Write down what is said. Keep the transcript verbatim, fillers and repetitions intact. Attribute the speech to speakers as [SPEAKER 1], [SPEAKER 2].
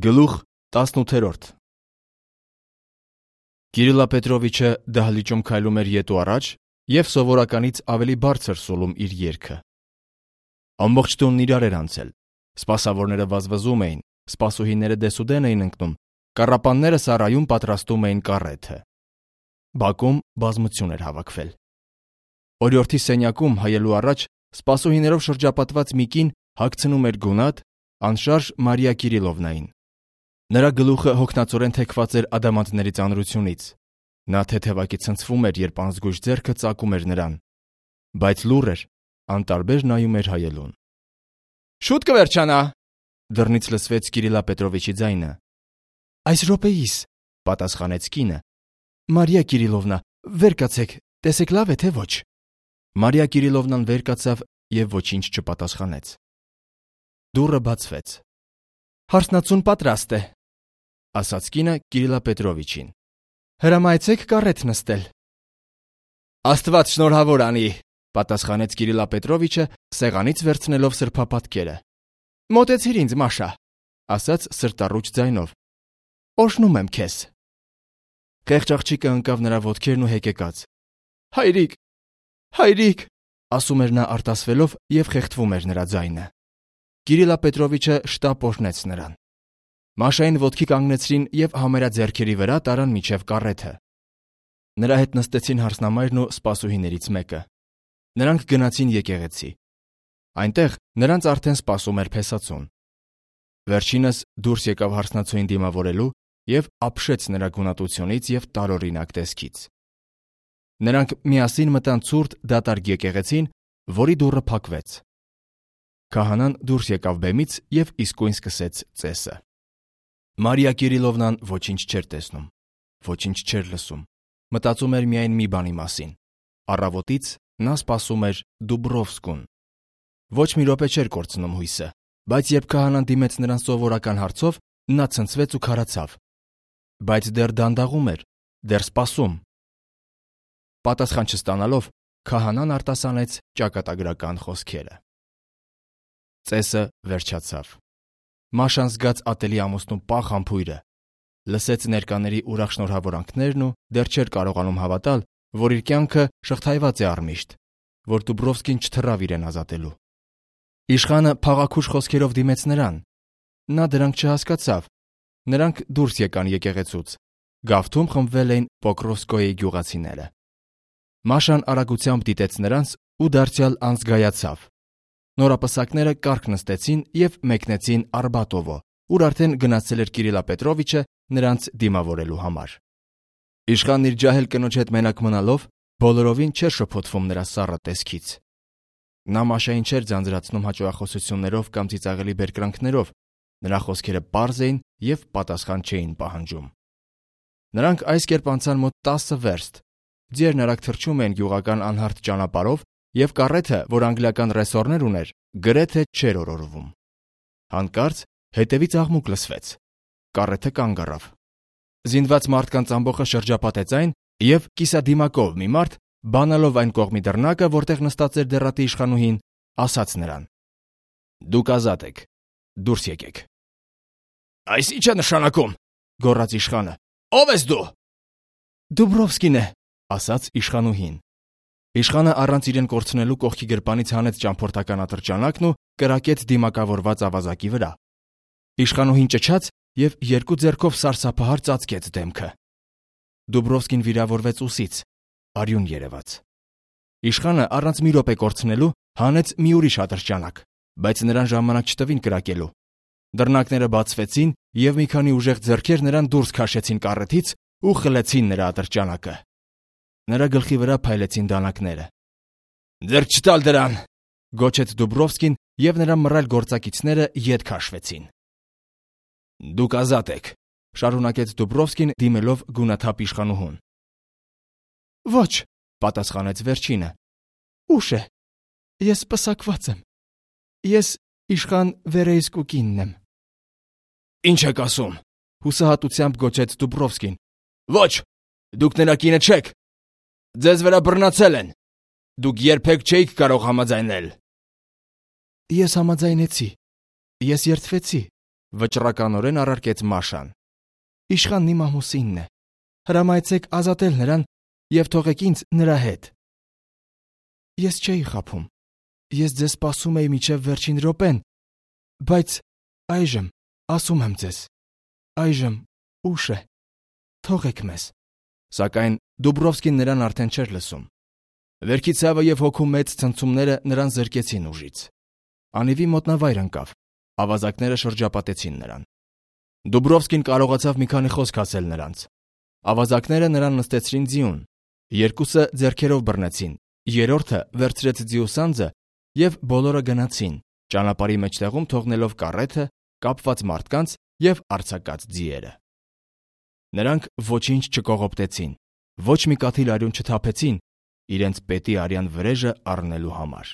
[SPEAKER 1] Գլուխ տասնութ Կիրիլա Պետրովիչը դահլիճում քայլում էր ետ ու առաջ և սովորականից ավելի բարձր սուլում իր երգը։ Ամբողջ տունն իրար էր անցել, սպասավորները վազվզում էին, սպասուհիները դեսուդեն էին ընկնում, կառապանները սարայում պատրաստում էին կառեթը։ Բակում բազմություն էր հավաքվել։ Օրիորդի սենյակում հայելու առաջ սպասուհիներով շրջապատված մի կին հագցնում էր գունատ, անշարժ Մարիա Կիրիլովնային։ Նրա գլուխը հոգնածորեն թեքված էր ադամանդների ծանրությունից։ Նա թեթևակի ցնցվում էր, երբ անզգույշ ձեռքը ծակում էր նրան, բայց լուռ էր, անտարբեր նայում էր հայելուն։ Շուտ կվերջանա, դռնից լսվեց Կիրիլա Պետրովիչի ձայնը։ Այս րոպեիս, պատասխանեց կինը։ Մարիա Կիրիլովնա, վեր կացեք, տեսեք լավ է թե ոչ։ Մարիա Կիրիլովնան վեր կացավ և ոչինչ չպատասխանեց։ Դուռը բացվեց։ Հարսնացուն պատրաստ է, ասաց կինը Կիրիլա Պետրովիչին։ Հրամայեցեք կառեթ նստել։ Աստված շնորհավոր անի, պատասխանեց Կիրիլա Պետրովիչը, սեղանից վերցնելով սրբապատկերը։ Մոտեցիր ինձ, Մաշա, ասաց սրտառուչ ձայնով։ Օրհնում եմ քեզ։ Խեղճ աղջիկը ընկավ նրա ոտքերն ու հեկեկաց։ Հայրիկ, հայրիկ, ասում էր նա արտասվելով և խեղդվում էր նրա ձայնը։ Կիրիլա Պետրովիչը շտապ օրհնեց նրան։ Մաշային ոտքի կանգնեցրին և համերա ձեռքերի վրա տարան մինչև կառեթը։ Նրա հետ նստեցին հարսնամայրն ու սպասուհիներից մեկը։ Նրանք գնացին եկեղեցի։ Այնտեղ նրանց արդեն սպասում էր փեսացուն։ Վերջինս դուրս եկավ հարսնացուին դիմավորելու և ապշեց նրա գունատությունից և տարօրինակ տեսքից։ Նրանք միասին մտան ցուրտ դատարկ եկեղեցին, որի դուռը փակվեց։ Քահանան դուրս եկավ բեմից և իսկույն սկսեց ծեսը։ Մարիա Կիրիլովնան ոչինչ չէր տեսնում, ոչինչ չէր լսում, մտածում էր միայն մի բանի մասին։ Առավոտից նա սպասում էր Դուբրովսկուն։ Ոչ մի րոպե չէր կորցնում հույսը, բայց երբ քահանան դիմեց նրան սովորական հարցով, նա ցնցվեց ու քարացավ։ Բայց դեռ դանդաղում էր, դեռ սպասում։ Պատասխան չստանալով, քահանան արտասանեց ճակատագրական խոսքերը։ Ծեսը վերջացավ։ Մաշան զգաց ատելի ամուսնու պաղ համբույրը, լսեց ներկաների ուրախ շնորհավորանքներն ու դեռ չէր կարողանում հավատալ, որ իր կյանքը շղթայված է առմիշտ, որ Դուբրովսկին չթռավ իրեն ազատելու։ Իշխանը փաղաքուշ խոսքերով դիմեց նրան։ Նա դրանք չհասկացավ։ Նրանք դուրս եկան եկեղեցուց։ Գավթում խմբվել էին Պոկրովսկոյի գյուղացիները։ Մաշան արագությամբ դիտեց նրանց ու դարձյալ անզգայացավ։ Նորապսակները կառք նստեցին և մեկնեցին Արբատովո, ուր արդեն գնացել էր Կիրիլա Պետրովիչը նրանց դիմավորելու համար։ Իշխանն իր ջահել կնոջ հետ մենակ մնալով բոլորովին չէր շփոթվում նրա սառը տեսքից։ Նա Մաշային չէր ձանձրացնում հաճոախոսություններով կամ ծիծաղելի բերկրանքներով, նրա խոսքերը պարզ էին և պատասխան չէին պահանջում։ Նրանք այս կերպ անցան մոտ տասը վերստ, ձիերն արագ թռչում էին գյուղական անհարթ ճանապարհով, և կառեթը, որ անգլիական ռեսորներ ուներ, գրեթե չէր օրորվում։ Հանկարծ հետևից աղմուկ լսվեց։ Կառեթը կանգ առավ։ Զինված մարդկանց ամբոխը շրջապատեց այն, և կիսադիմակով մի մարդ, բանալով այն կողմի դռնակը, որտեղ նստած էր դեռատի իշխանուհին, ասաց նրան. Դուք ազատ եք, դուրս եկեք։ Այս ի՞նչ է նշանակում, գոռաց իշխանը։ Ո՞վ ես դու։ Դուբրովսկին է, ասաց իշխանուհին։ Իշխանը առանց իրեն կորցնելու կողքի գրպանից հանեց ճամփորդական ատրճանակն ու կրակեց դիմակավորված ավազակի վրա։ Իշխանուհին ճչաց և երկու ձեռքով սարսափահար ծածկեց դեմքը։ Դուբրովսկին վիրավորվեց ուսից, արյուն երևաց։ Իշխանը առանց մի րոպե կորցնելու հանեց մի ուրիշ ատրճանակ, բայց նրան ժամանակ չտվին կրակելու։ Դռնակները բացվեցին և մի քանի ուժեղ ձեռքեր նրան դուրս քաշեցին կառեթից ու խլեցին նրա ատրճանակը։ Նրա գլխի վրա փայլեցին դանակները։ Ձեռք չտալ դրան, գոչեց Դուբրովսկին, և նրա մռայլ գործակիցները ետ քաշվեցին։ Դուք ազատ եք, շարունակեց Դուբրովսկին դիմելով գունաթափ իշխանուհուն։ Ոչ, պատասխանեց վերջինը։ Ուշ է։ Ես պսակված եմ։ Ես իշխան Վերեյսկուկինն եմ։ Ինչ եք ասում, հուսահատությամբ գոչեց Դուբրովսկին։ Ոչ, դուք նրա կինը չեք։ Ձեզ վրա բռնացել են։ Դուք երբեք չէիք կարող համաձայնել։ Ես համաձայնեցի։ Ես երդվեցի։ վճռականորեն առարկեց Մաշան։ Իշխանն իմ ամուսինն է։ Հրամայեցեք ազատել նրան եւ թողեք ինձ նրա հետ։ Ես չէի խաբում։ Ես ձեզ սպասում էի մինչև վերջին րոպեն, բայց այժմ, ասում եմ ձեզ, այժմ ուշ է։ Թողեք մեզ։ Սակայն Դուբրովսկին նրան արդեն չէր լսում։ Վերքի ցավը եւ հոգու մեծ ցնցումները նրան զրկեցին ուժից։ Անիվի մոտնավայր ընկավ։ Ավազակները շրջապատեցին նրան։ Դուբրովսկին կարողացավ մի քանի խոսք ասել նրանց։ Ավազակները նրան նստեցրին ձիուն։ Երկուսը ձեռքերով բռնեցին, երրորդը վերցրեց ձիու սանձը եւ բոլորը գնացին, ճանապարհի մեջտեղում թողնելով կառեթը, կապված մարդկանց եւ արձակած ձիերը։ Նրանք ոչինչ չկողոպտեցին, ոչ մի կաթիլ արյուն չթափեցին իրենց պետի արյան վրեժը առնելու համար։